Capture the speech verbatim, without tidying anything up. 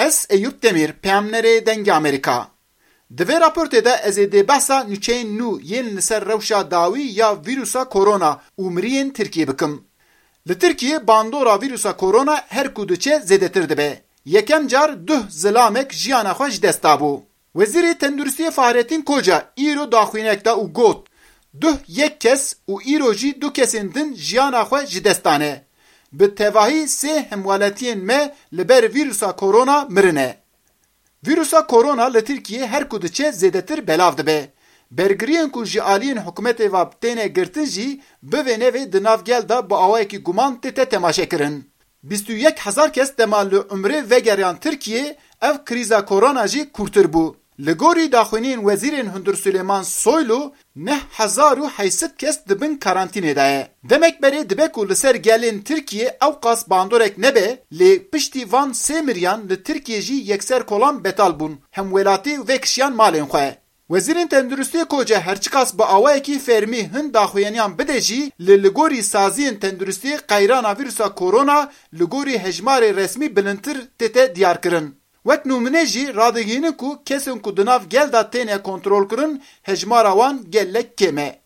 Ez Eyûp Demîr, peyamnerê Dengê Amerîka. Di vê raportê de ez ê dê behsa nûçeyên nû yên li ser rewşa dawî ya vîrusa korona û miriyên Tirkiyê bikim. Li Tirkiyê bandora vîrusa korona her ku diçe zêdetir dibe. Yekem car duh zilamek jiyana xwe ji dest dabû. Wezîrê Tenduristiyê Fahrettin Koca îro daxuyanek da û got, duh yek kes û îro jî du kesên din jiyana xwe ji dest dane. Bi tevahî sê hemwelatiyên me li ber vîrusa korona mirine. Vîrusa korona li Tirkiyê her ku diçe zêdetir belav dibe. Bergiriyên ku ji aliyên hikûmetê ve têne girtin jî bi vê nevê di nav gel de bi awayekî guman tête temaşekirin. Bîst û yek hezar kes dema li umrê vegeriyan Tirkiyê, ev krîza korona jî kûrtir bû. Li gorî daxuyaniyên wezîrên hundir Suleyman Soylu, neh hezar û heyşt sed kes di bin karantînê de ye. Demek berê dibe ku li ser gelên Tirkiyê ewqas bandorek nebe, lê piştî van sê miriyan li Tirkiyê jî yekser kolan betal bûn, hemwelatî vekişiyan malên xwe. Wezîrên Tenduristiyê Koca herçiqas bi awayekî fermî hin daxuyaniyan bide jî, li li gorî saziyên tenduristiyê qeyrana vîrusa korona li gorî hejmarê resmî bilindtir tête diyarkirin. Wek nûmine jî radigihînin ku kesên ku di nav gel de têne kontrolkirin hejmara wan gelek kêm e.